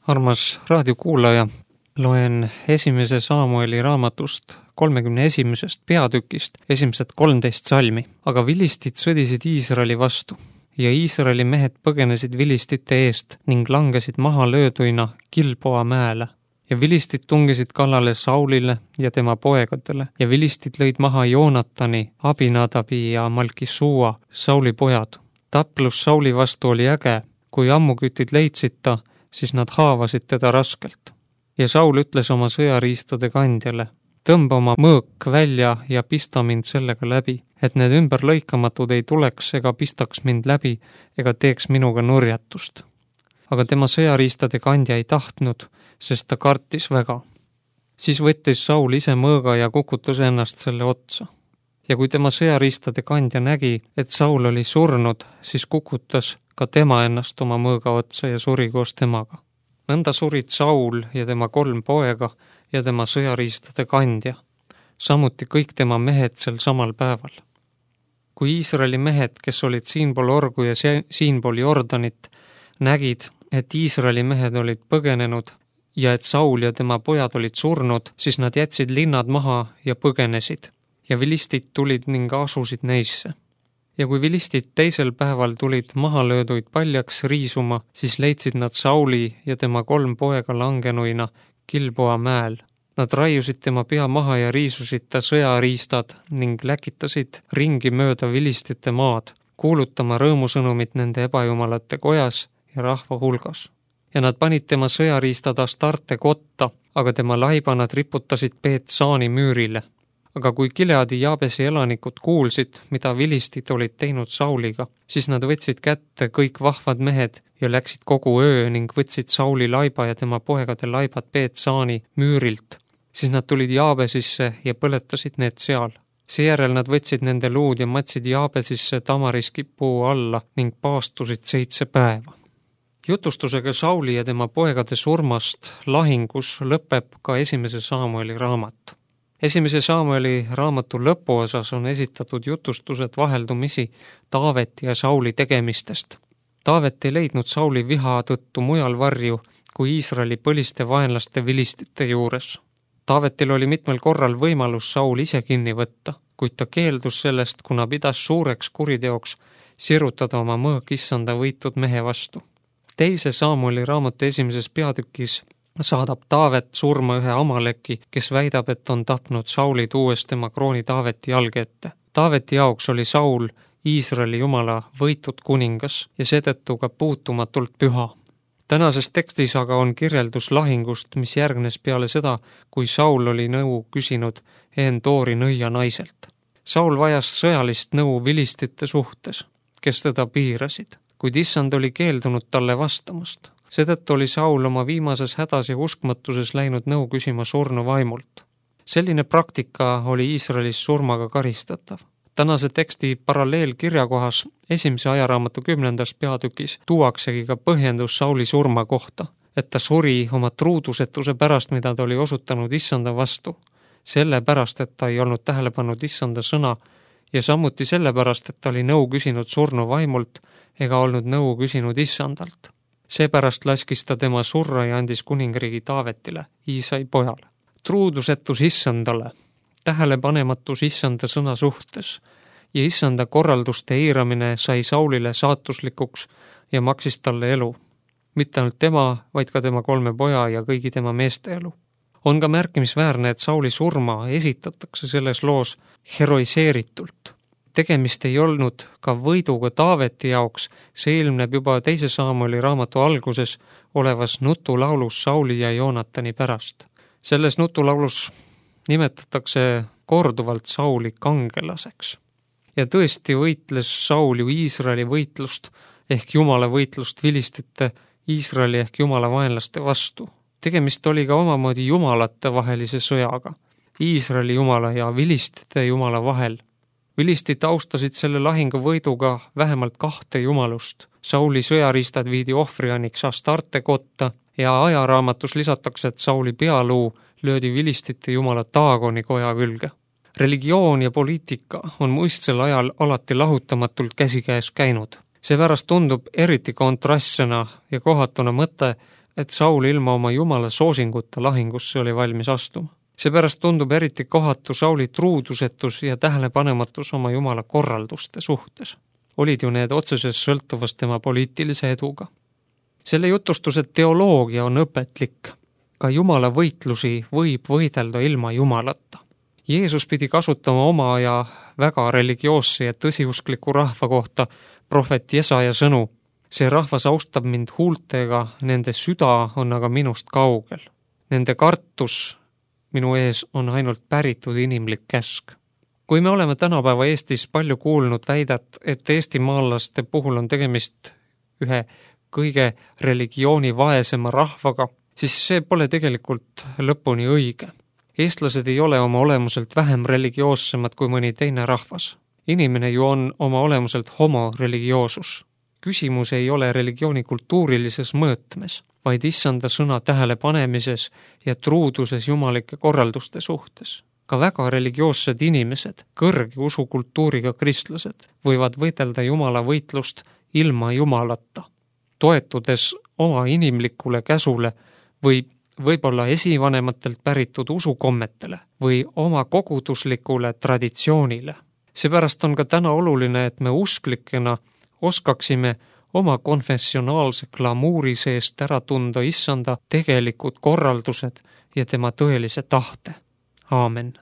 Armas raadiokuulaja, loen esimese Saamueli raamatust 31. peatükist esimesed 13 salmi. Aga vilistid sõdisid Iisraeli vastu ja Iisraeli mehed põgenesid vilistite eest ning langesid maha lööduina Gilboa mäele. Ja vilistid tungisid kallale Saulile ja tema poegadele ja vilistid lõid maha Joonatani, Abinadabi ja Malkisuua, Sauli pojad. Taplus Sauli vastu oli äge, kui ammukütid leidsid ta, siis nad haavasid teda raskelt. Ja Saul ütles oma sõjariistade kandjale, tõmba oma mõõk välja ja pista mind sellega läbi, et need ümberlõikamatud ei tuleks ega pistaks mind läbi ega teeks minuga nurjatust. Aga tema sõjariistade kandja ei tahtnud, sest ta kartis väga. Siis võttis Saul ise mõõga ja kukutas ennast selle otsa. Ja kui tema sõjariistade kandja nägi, et Saul oli surnud, siis kukutas ka tema ennast oma mõõga otsa ja suri koos temaga. Nõnda surid Saul ja tema 3 poega ja tema sõjariistade kandja, samuti kõik tema mehed sel samal päeval. Kui Iisraeli mehed, kes olid siinpool Orgu ja siinpool Jordanit, nägid, et Iisraeli mehed olid põgenenud ja et Saul ja tema pojad olid surnud, siis nad jätsid linnad maha ja põgenesid ja vilistid tulid ning asusid neisse. Ja kui vilistid teisel päeval tulid mahalööduid paljaks riisuma, siis leidsid nad Sauli ja tema 3 poega langenuina Gilboa mäel. Nad raiusid tema pea maha ja riisusid ta sõjariistad ning läkitasid ringi mööda vilistite maad, kuulutama rõõmusõnumit nende ebajumalate kojas ja rahva hulgas. Ja nad panid tema sõjariistad Astarte kotta, aga tema laiba nad riputasid Beetsaani müürile. Aga kui Gileadi Jaabesi elanikud kuulsid, mida vilistid olid teinud Sauliga, siis nad võtsid kätte kõik vahvad mehed ja läksid kogu öö ning võtsid Sauli laiba ja tema poegade laibad Beetsaani müürilt. Siis nad tulid Jaabesisse ja põletasid need seal. Seejärel nad võtsid nende luud ja matsid Jaabesisse tamariskipuu alla ning paastusid 7 päeva. Jutustusega Sauli ja tema poegade surmast lahingus lõpeb ka esimese Saamueli raamat. Esimese Saamueli raamatu lõpuosas on esitatud jutustused vaheldumisi Taaveti ja Sauli tegemistest. Taavet ei leidnud Sauli viha tõttu mujal varju kui Iisraeli põliste vaenlaste vilistite juures. Taavetil oli mitmel korral võimalus Saul ise kinni võtta, kuid ta keeldus sellest, kuna pidas suureks kuriteoks sirutada oma mõõk issanda võitud mehe vastu. Teise Saamueli raamatu esimeses peatükis saadab Taavet surma ühe Amaleki, kes väidab, et on tapnud Sauli tuues tema krooni Taaveti jalge ette. Taaveti jaoks oli Saul Iisraeli jumala võitud kuningas ja seetõttu ka puutumatult püha. Tänases tekstis aga on kirjeldus lahingust, mis järgnes peale seda, kui Saul oli nõu küsinud Endoori nõia naiselt. Saul vajas sõjalist nõu vilistite suhtes, kes teda piirasid, kuid issand oli keeldunud talle vastamast. Seetõttu oli Saul oma viimases hädas ja uskmatuses läinud nõu küsima surnu vaimult. Selline praktika oli Iisraelis surmaga karistatav. Tänase teksti paralleelkirjakohas esimese ajaraamatu 10. peatükis tuuaksegi ka põhjendus Sauli surma kohta, et ta suri oma truudusetuse pärast, mida ta oli osutanud issanda vastu, sellepärast, et ta ei olnud tähele pannud issanda sõna ja samuti sellepärast, et ta oli nõu küsinud surnu vaimult ega olnud nõu küsinud issandalt. Seepärast laskis ta tema surra ja andis kuningriigi Taavetile, Iisai pojale. Truudusetus issandale, tähelepanematus issanda sõna suhtes ja issanda korralduste eiramine sai Saulile saatuslikuks ja maksis talle elu. Mitte ainult tema, vaid ka tema 3 poja ja kõigi tema meeste elu. On ka märkimisväärne, et Sauli surma esitatakse selles loos heroiseeritult. Tegemist ei olnud ka võiduga Taaveti jaoks, see ilmneb juba 2. Saamueli raamatu alguses olevas nutulaulus Sauli ja Joonatani pärast. Selles nutulaulus nimetatakse korduvalt Sauli kangelaseks. Ja tõesti võitles Saul ju Iisraeli võitlust ehk Jumala võitlust vilistite Iisraeli ehk Jumala vaenlaste vastu. Tegemist oli ka omamoodi jumalate vahelise sõjaga, Iisraeli Jumala ja vilistite Jumala vahel. Vilistid austasid selle lahingu võiduga vähemalt 2 jumalust. Sauli sõjariistad viidi ohvrianiks Astarte kotta ja ajaraamatus lisatakse, et Sauli pealuu löödi vilistite jumala Daagoni koja külge. Religioon ja poliitika on muistsel ajal alati lahutamatult käsikäes käinud. Seepärast tundub eriti kontrastsena ja kohatuna mõte, et Saul ilma oma jumala soosinguta lahingusse oli valmis astuma. Seepärast tundub eriti kohatu Sauli truudusetus ja tähelepanematus oma jumala korralduste suhtes. Olid ju need otseses sõltuvas tema poliitilise eduga. Selle jutustuse teoloogia on õpetlik. Ka jumala võitlusi võib võidelda ilma jumalata. Jeesus pidi kasutama oma aja väga religioosse ja tõsiuskliku rahva kohta prohvet Jesaja sõnu. See rahvas austab mind huultega, nende süda on aga minust kaugel. Nende kartus minu ees on ainult päritud inimlik käsk. Kui me oleme tänapäeva Eestis palju kuulnud väidet, et eestimaalaste puhul on tegemist ühe kõige religiooni vaesema rahvaga, siis see pole tegelikult lõpuni õige. Eestlased ei ole oma olemuselt vähem religioossemad kui mõni teine rahvas. Inimene ju on oma olemuselt homo religioosus. Küsimus ei ole religiooni kultuurilises mõõtmes, vaid issanda sõna tähelepanemises ja truuduses jumalike korralduste suhtes. Ka väga religioossed inimesed, kõrge usukultuuriga kristlased, võivad võidelda jumala võitlust ilma jumalata, toetudes oma inimlikule käsule või võib-olla esivanematelt päritud usukommetele või oma koguduslikule traditsioonile. Seepärast on ka täna oluline, et me usklikena oskaksime oma konfessionaalse glamuuri seest ära tunda issanda tegelikud korraldused ja tema tõelise tahte. Aamen.